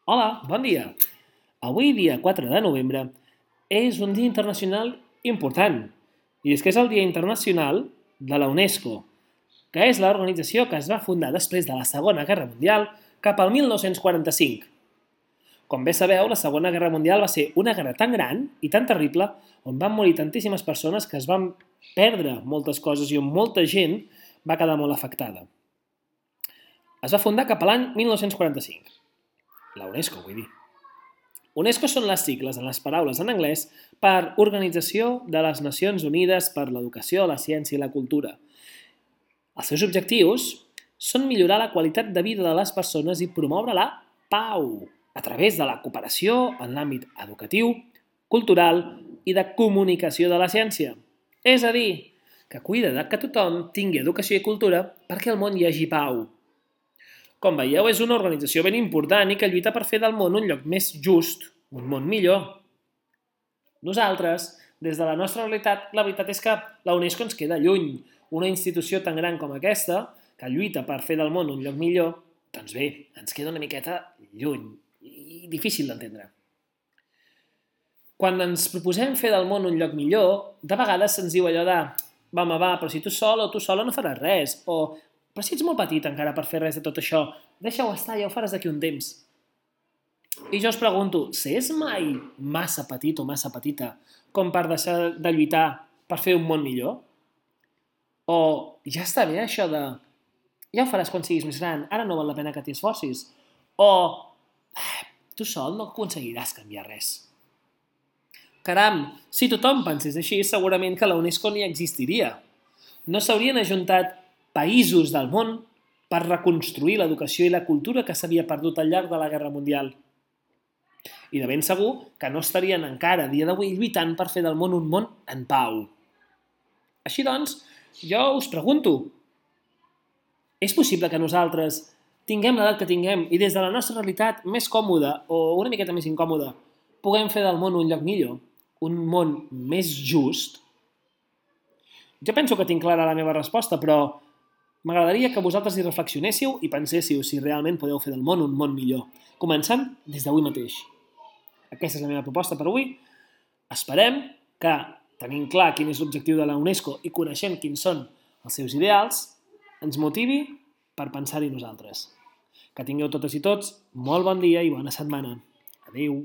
Hola, bon dia. Avui, dia 4 de novembre, és un dia internacional important. I és que és el Dia Internacional de la UNESCO, que és l'organització que es va fundar després de la Segona Guerra Mundial cap al 1945. Com bé sabeu, la Segona Guerra Mundial va ser una guerra tan gran i tan terrible on van morir tantíssimes persones que es van perdre moltes coses i on molta gent va quedar molt afectada. Es va fundar cap a l'any 1945. La UNESCO, vull dir. UNESCO són les sigles en les paraules en anglès per Organització de les Nacions Unides per l'Educació, la Ciència i la Cultura. Els seus objectius són millorar la qualitat de vida de les persones i promoure la pau a través de la cooperació en l'àmbit educatiu, cultural i de comunicació de la ciència. És a dir, que cuida que tothom tingui educació i cultura perquè al món hi hagi pau. Com veieu, és una organització ben important i que lluita per fer del món un lloc més just, un món millor. Nosaltres, des de la nostra realitat, la veritat és que la UNESCO ens queda lluny. Una institució tan gran com aquesta, que lluita per fer del món un lloc millor, doncs bé, ens queda una miqueta lluny i difícil d'entendre. Quan ens proposem fer del món un lloc millor, de vegades se'ns diu allò de va, però si tu sol o tu sola no faràs res, o però si ets molt petit encara per fer res de tot això, deixa-ho estar, ja ho faràs d'aquí un temps. I jo us pregunto, s'és mai massa petit o massa petita com per deixar de lluitar per fer un món millor? O ja està bé això de ja ho faràs quan siguis més gran, ara no val la pena que t'hi esforcis? O tu sol no aconseguiràs canviar res? Caram, si tothom pensés així, segurament que la UNESCO ni existiria. No s'haurien ajuntat països del món per reconstruir l'educació i la cultura que s'havia perdut al llarg de la Guerra Mundial. I de ben segur que no estarien encara a dia d'avui lluitant per fer del món un món en pau. Així doncs, jo us pregunto, és possible que nosaltres tinguem l'edat que tinguem i des de la nostra realitat més còmoda o una miqueta més incòmoda puguem fer del món un lloc millor, un món més just? Jo penso que tinc clara la meva resposta, però m'agradaria que vosaltres hi reflexionéssiu i penséssiu si realment podeu fer del món un món millor, començant des d'avui mateix. Aquesta és la meva proposta per avui. Esperem que, tenint clar quin és l'objectiu de la UNESCO i coneixent quins són els seus ideals, ens motivi per pensar-hi nosaltres. Que tingueu totes i tots molt bon dia i bona setmana. Adéu.